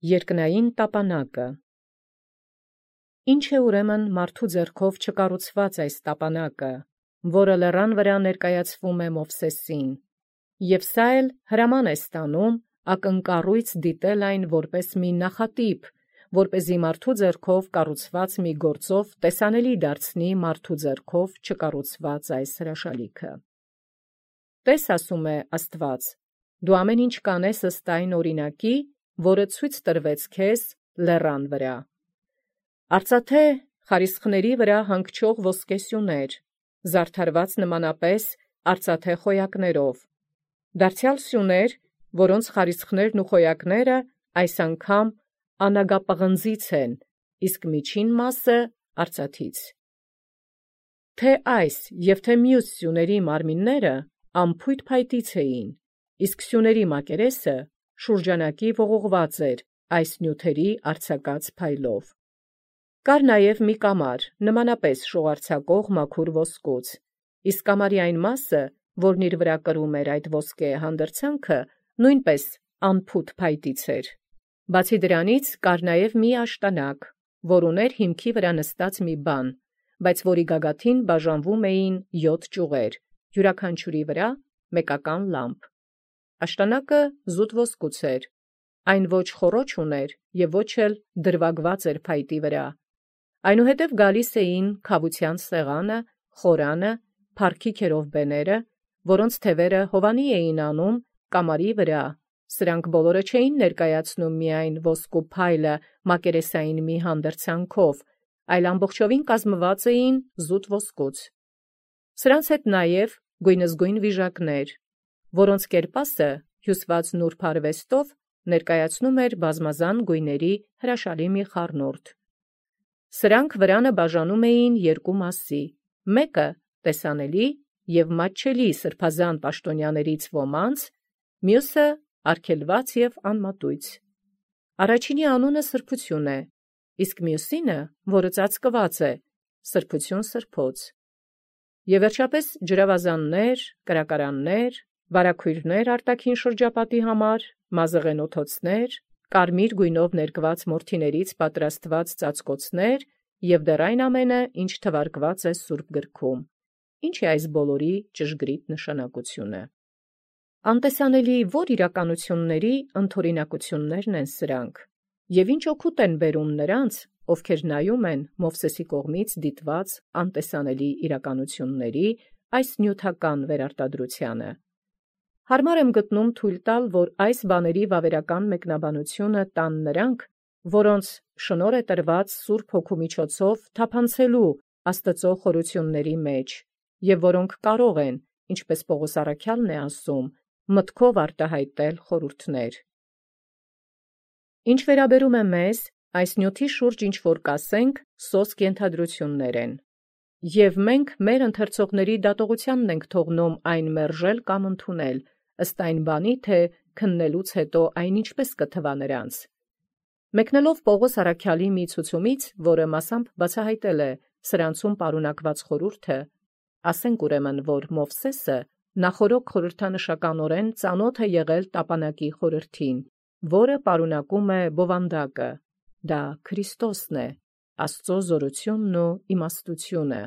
Երկնային տապանակը։ Ինչ է ուրեմն մարդու ձեռքով չկառուցված այս տապանակը, որը լեռան վրա ներկայացվում է Մովսեսին, և սա էլ հրաման է ստանում ակնկառույց դիտել այն որպես մի նախատիպ, որպեսզի մարդու ձեռքով կառուցված մի գործով տեսանելի դարձնի մարդու ձեռքով չկառուցված այս հրաշալիքը։ Տես, ասում է Աստված, դու ամեն ինչ կանես ըստ այն օրինակի, որը ցույց տրվեց քեզ լեռան վրա։ Արծաթե խարիսխների վրա հանգչող ոսկեսյուներ, զարդարված նմանապես արծաթե խոյակներով, դարձյալ սյուներ, որոնց խարիսխներն ու խոյակները այս անգամ անագապղնձից են, իսկ միջին մասը արծաթից։ Թե այս և թե մյուս սյուների մարմինները անփույթ փայտից էին, իսկ սյուների մակերեսը շուրջանակի ողողված էր այս նյութերի արձակած փայլով։ Կար նաև մի կամար, նմանապես շողարձակող մաքուր ոսկուց, իսկ կամարի այն մասը, որն իր վրա կրում էր այդ ոսկե հանդրձանքը, նույնպես անփութ փայտից էր։ Բացի դրանից կար նաև մի աշտանակ, որ ուներ հիմքի վրա նստած մի բան, բայց որի գագաթին բաժանվում էին 7 ճյուղեր, յուրաքանչյուրի վրա մեկական լամպ։ Աշտանակը զուտ ոսկուց էր, այն ոչ խոռոչ ուներ և ոչ էլ դրվագված էր փայտի վրա։ Այնուհետև գալիս էին քավության սեղանը, խորանը, փառքի քերովբեները, որոնց թևերը Հովանի էին անում կամարի վրա, սրանք բոլորը չէին ներկայացնում միայն ոսկու փայլը մակերեսային մի հանդրձանքով, այլ ամբողջովին կազմված էին զուտ ոսկուց։ Սրանց հետ նաև գույնզգույն վիժակներ, որոնց կերպասը հյուսված նուրբ արվեստով ներկայացնում էր բազմազան գույների հրաշալի մի խառնուրդ։ Սրանք վրանը բաժանում էին երկու մասի, մեկը տեսանելի և մատչելի սրբազան պաշտոնյաներից ոմանց, մյուսը արգելված և անմատույց։ Առաջինի անունը սրբություն է, իսկ մյուսինը, որը ծածկված է, սրբություն սրբոց։ Եվ վերջապես ջրավազաններ, կրակարաններ, վարագույրներ արտաքին շրջապատի համար, մազեղենոթոցներ, կարմիր գույնով ներկված մորթիներից պատրաստված ծածկոցներ և դեռ այն ամենը, ինչ թվարկված է Սուրբ գրքում։ Ինչ է այս բոլորի ճշգրիտ նշանակությունը։ Անտեսանելի ո՞ր իրականությունների ընդօրինակություններն են սրանք, և ինչ օգուտ են բերում նրանց, ովքեր նայում են Մովսեսի կողմից դիտված անտեսանելի իրականությունների այս նյութական վերարտադրությանը։ Հարմար եմ գտնում թույլ տալ, որ այս բաների վավերական մեկնաբանությունը տան նրանք, որոնց շնորհ է տրված Սուրբ Հոգու միջոցով թափանցելու Աստծո խորությունների մեջ, և որոնք կարող են, ինչպես Պողոս առաքյալն է ասում, մտքով արտահայտել խորհուրդներ։ Ինչ վերաբերում է մեզ, այս նյութի շուրջ ինչ-որ կասենք, սոսկ ենթադրություններ են, և մենք մեր ընթերցողների դատողությանն ենք թողնում այն մերժել կամ ընդունել, ըստ այն բանի, թե քննելուց հետո այն ինչպես կթվա նրանց։ Մեկնելով Պողոս առաքյալի մի ցուցումից, որը մասամբ բացահայտել է սրանցում պարունակված խորհուրդը, ասենք ուրեմն, որ Մովսեսը նախորոք խորհրդանշականորեն ծանոթ է եղել տապանակի խորհրդին, որը պարունակում է բովանդակը, դա Քրիստոսն է, Աստծո զորությունն ու իմաստությունը,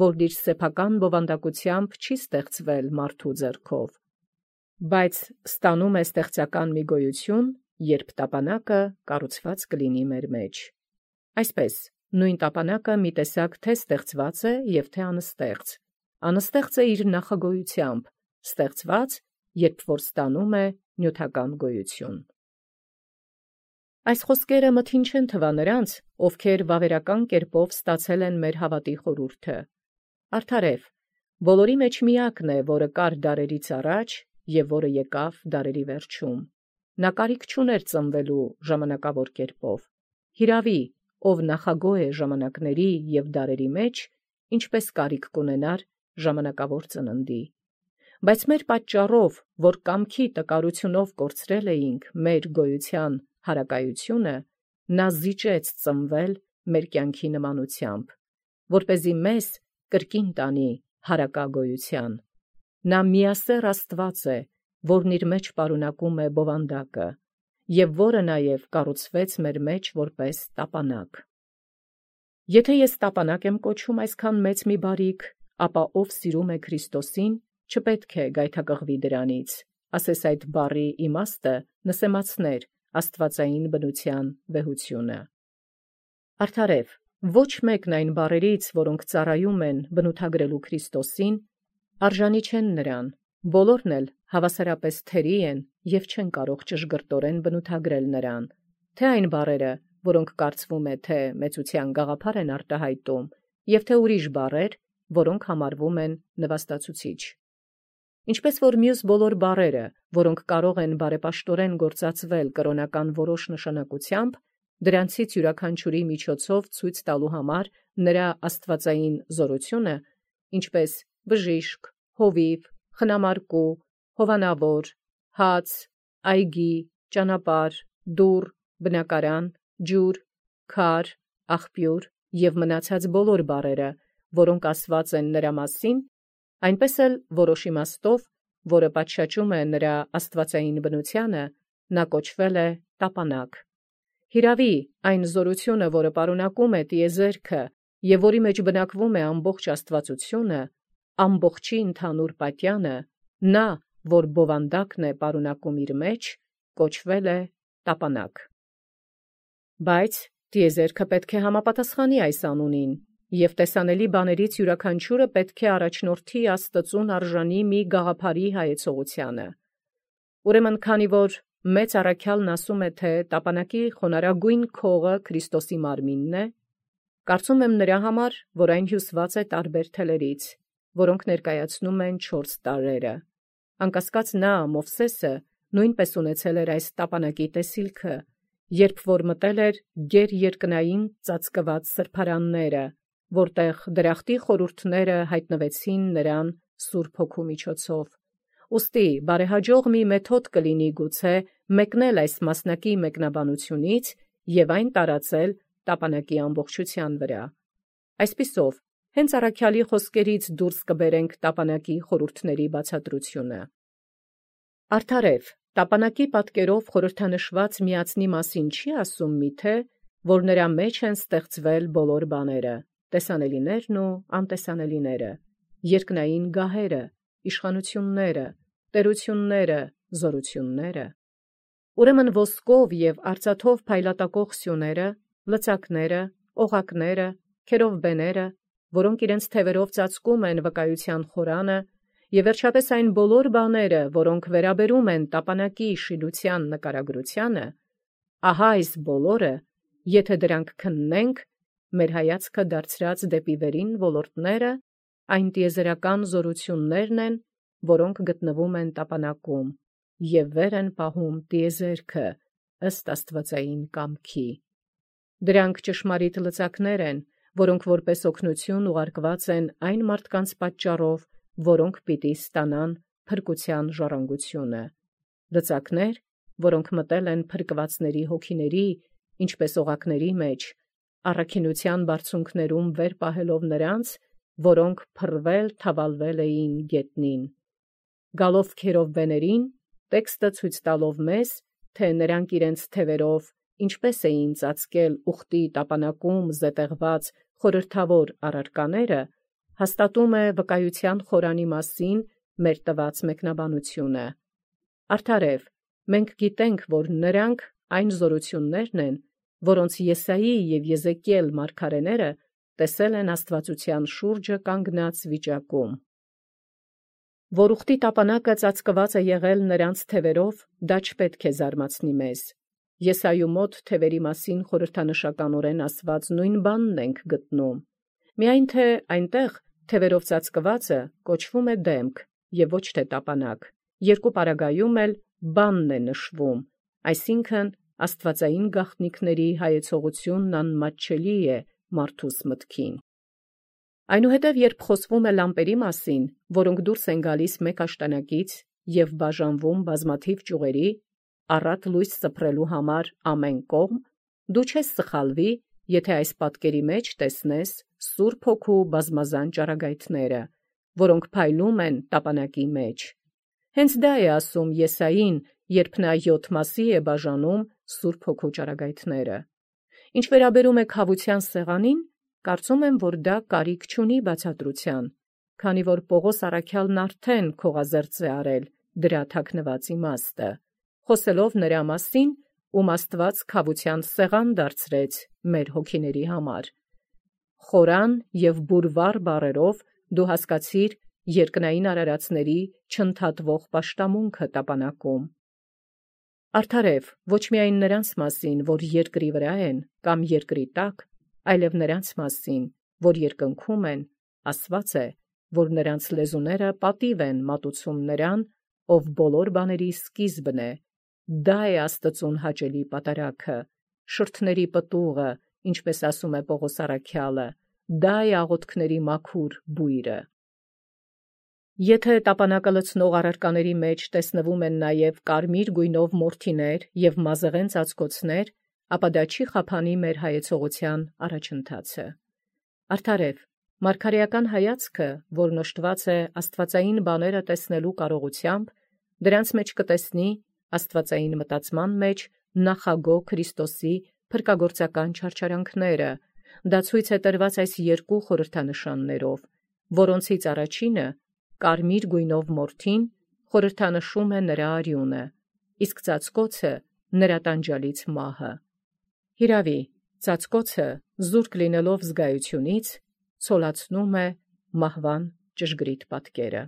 որ իր սեփական բովանդակությամբ չի ստեղծվել մարդու ձեռքով, բայց ստանում է ստեղծական մի գոյություն, երբ տապանակը կառուցված կլինի մեր մեջ։ Այսպես, նույն տապանակը մի տեսակ թե ստեղծված է և թե անստեղծ։ Անստեղծ է իր նախագոյությամբ, ստեղծված, երբ որ ստանում է նյութական գոյություն։ Այս խոսքերը մթին չեն թվա նրանց, ովքեր վավերական կերպով ստացել են մեր հավատի խորհուրդը։ Արդարև, բոլորի մեջ միակն է, որը կար դարերից առաջ և որը եկավ դարերի վերջում։ Նա կարիք չուներ ծնվելու ժամանակավոր կերպով։ Հիրավի, ով նախագոյ է ժամանակների և դարերի մեջ, ինչպես կարիք կունենար ժամանակավոր ծննդի։ Բայց մեր պատճառով, որ կամքի տկարությունով կորցրել էինք մեր գոյության հարակայությունը, նա զիջեց ծնվել մեր կյանքի նմանությամբ, որպեսզի մեզ կրկին տանի հարակագոյության։ Նա միասեռ Աստված է, որն իր մեջ պարունակում է բովանդակը, եւ որը նաեւ կառուցվեց մեր մեջ որպես տապանակ։ Եթե ես տապանակ եմ կոչում այսքան մեծ մի բարիք, ապա ով սիրում է Քրիստոսին, չպետք է գայթակղվի դրանից, ասես այդ բառի իմաստը նսեմացներ աստվածային բնության վեհությունը։ Արդարև, ոչ մեկն այն բառերից, որոնք ծառայում են բնութագրելու Քրիստոսին, արժանի չեն նրան, բոլորն էլ հավասարապես թերի են եւ չեն կարող ճշգրտորեն բնութագրել նրան, թե այն բառերը, որոնք կարծվում է, թե մեծության գաղափար են արտահայտում, եւ թե ուրիշ բառեր, որոնք համարվում են նվաստացուցիչ։ Ինչպես որ մյուս բոլոր բառերը, որոնք կարող են բարեպաշտորեն գործածվել կրոնական որոշ նշանակությամբ, դրանցից յուրաքանչյուրի միջոցով ցույց տալու համար նրա աստվածային զորությունը, ինչպես բժիշկ, հովիվ, խնամարկու, հովանավոր, հաց, այգի, ճանապարհ, դուռ, բնակարան, ջուր, քար, աղբյուր եւ մնացած բոլոր բառերը, որոնք ասված են նրա մասին, այնպես էլ որոշ իմաստով, որը պատշաճում է նրա աստվածային բնությանը, նա կոչվել է տապանակ։ Հիրավի, այն զորությունը, որը պարունակում է տիեզերքը եւ որի մեջ բնակվում է ամբողջ աստվածությունը, ամբողջի ընդհանուր պատյանը, նա, որ բովանդակն է պարունակում իր մեջ, կոչվել է տապանակ։ Բայց տիեզերքը պետք է համապատասխանի այս անունին, եւ տեսանելի բաներից յուրաքանչյուրը պետք է առաջնորդի Աստծուն արժանի մի գաղափարի հայեցողությանը։ Ուրեմն, քանի որ մեծ առաքյալն ասում է, թե տապանակի խոնարհագույն քողը Քրիստոսի մարմինն է, կարծում եմ նրա համար, որ այն հյուսված է տարբեր թելերից, որոնք ներկայացնում են 4 տարրերը։ Անկասկած նա, Մովսեսը, նույնպես ունեցել էր այս տապանակի տեսիլքը, երբ որ մտել էր գեր երկնային ծածկված սրբարանները, որտեղ դրախտի խորհուրդները հայտնվեցին նրան Սուրբ Հոգու միջոցով։ Ուստի բարեհաջող մի մեթոդ կլինի գուցե մեկնել այս մասնակի մեկնաբանությունից եւ այն տարածել տապանակի ամբողջության վրա։ Այսպիսով, հենց առաքյալի խոսքերից դուրս կբերենք տապանակի խորհուրդների բացատրությունը։ Արդարև, տապանակի պատկերով խորհրդանշված միածնի մասին չի ասում միթե, որ նրա մեջ են ստեղծվել բոլոր բաները, տեսանելիներն ու անտեսանելիները, երկնային գահերը, իշխանությունները, տերությունները, զորությունները։ Ուրեմն ոսկով եւ արծաթով փայլատակող սյուները, լծակները, օղակները, քերովբեները, որոնք իրենց թևերով ծածկում են վկայության խորանը, եւ վերջապես այն բոլոր բաները, որոնք վերաբերում են տապանակի շինության նկարագրությանը, ահա այս բոլորը, եթե դրանք քննենք, մեր հայացքը դարձրած դեպի վերին ոլորտները, այն տիեզերական զորություններն են, որոնք գտնվում են տապանակում եւ վեր են պահում տիեզերքը ըստ աստվածային կամքի։ Դրանք ճշմարիտ լծակներ են, որոնք որպես օգնություն ուղարկված են այն մարդկանց պատճառով, որոնք պիտի ստանան փրկության ժառանգությունը։ Լծակներ, որոնք մտել են փրկվածների հոգիների, ինչպես օղակների մեջ, առաքինության բարձունքներում վեր պահելով նրանց, որոնք փռվել թավալվել էին գետնին։ Գալով քերովբեներին, տեքստը ցույց տալով մեզ, թե նրանք իրենց թևերով ինչպես էին ծածկել ուխտի տապանակում զետեղված խորհրդավոր առարկաները, հաստատում է վկայության խորանի մասին մեր տված մեկնաբանությունը։ Արդարև, մենք գիտենք, որ նրանք այն զորություններն են, որոնց Եսայի եւ Եզեկիել մարգարեները տեսել են աստվածության շուրջը կանգնած վիճակում։ Որ ուխտի տապանակը ծածկված է եղել նրանց թևերով, դա չպետք է զարմացնի մեզ։ Եսայու մոտ թևերի մասին խորհրդանշականորեն ասված նույն բանն ենք գտնում։ Միայն թե այնտեղ թևերով ծածկվածը կոչվում է դեմք եւ ոչ թե տապանակ։ Երկու պարագայում էլ բանն է նշվում, այսինքն աստվածային գաղտնիքների հայեցողությունն անմատչելի է մարդուս մտքին։ Այնուհետև, երբ խոսվում է լամպերի մասին, որոնք դուրս են գալիս մեկ աշտանակից եւ բաժանվում բազմաթիվ ճյուղերի, առատ լույս սփռելու համար ամեն կողմ, դու չես սխալվի, եթե այս պատկերի մեջ տեսնես Սուրբ Հոգու բազմազան ճառագայթները, որոնք փայլում են տապանակի մեջ։ Հենց դա է ասում Եսային, երբ նա 7 մասի է բաժանում Սուրբ Հոգու ճառագայթները։ Ինչ վերաբերում է քավության սեղանին, կարծում եմ, որ դա կարիք չունի բացատրության, քանի որ Պողոս առաքյալն արդեն քողազերծ է արել դրա թաքնված իմաստը, խոսելով նրա մասին, ում Աստված քավության սեղան դարձրեց մեր հոգիների համար։ Խորան և բուրվար բառերով դու հասկացիր երկնային արարածների չընդհատվող պաշտամունքը տապանակում։ Արդարև ոչ միայն նրանց մասին, որ երկրի վրա են կամ երկրի տակ, այլև նրանց մասին, որ երկնքում են, ասված է, որ նրանց լեզուները պատիվ են մատուցում նրան, ով բոլոր բաների սկիզբն է, դա է Աստծուն հաճելի պատարագը, շրթների պտուղը, ինչպես ասում է Պողոս առաքյալը, դա է աղոթքների մաքուր բույրը։ Եթե տապանակը լցնող առարկաների մեջ տեսնվում են նաև կարմիր գույնով մորթիներ և մազեղեն ծածկոցներ, ապա դա չի խափանի մեր հայեցողության առաջընթացը։ Արդարև, մարգարեական հայացքը, որն օժտված է աստվածային բաները տեսնելու կարողությամբ, դրանց մեջ կտեսնի աստվածային մտածման մեջ նախագո Քրիստոսի փրկագործական չարչարանքները, դա ցույց է տրված այս երկու խորհրդանշաններով, որոնցից առաջինը, կարմիր գույնով մորթին, խորհրդանշում է նրա արյունը, իսկ ծածկոցը նրա տանջալից մահը։ Հիրավի, ծածկոցը, զուրկ լինելով զգայությունից, ցոլացնում է մահվան ճշգրիտ պատկերը։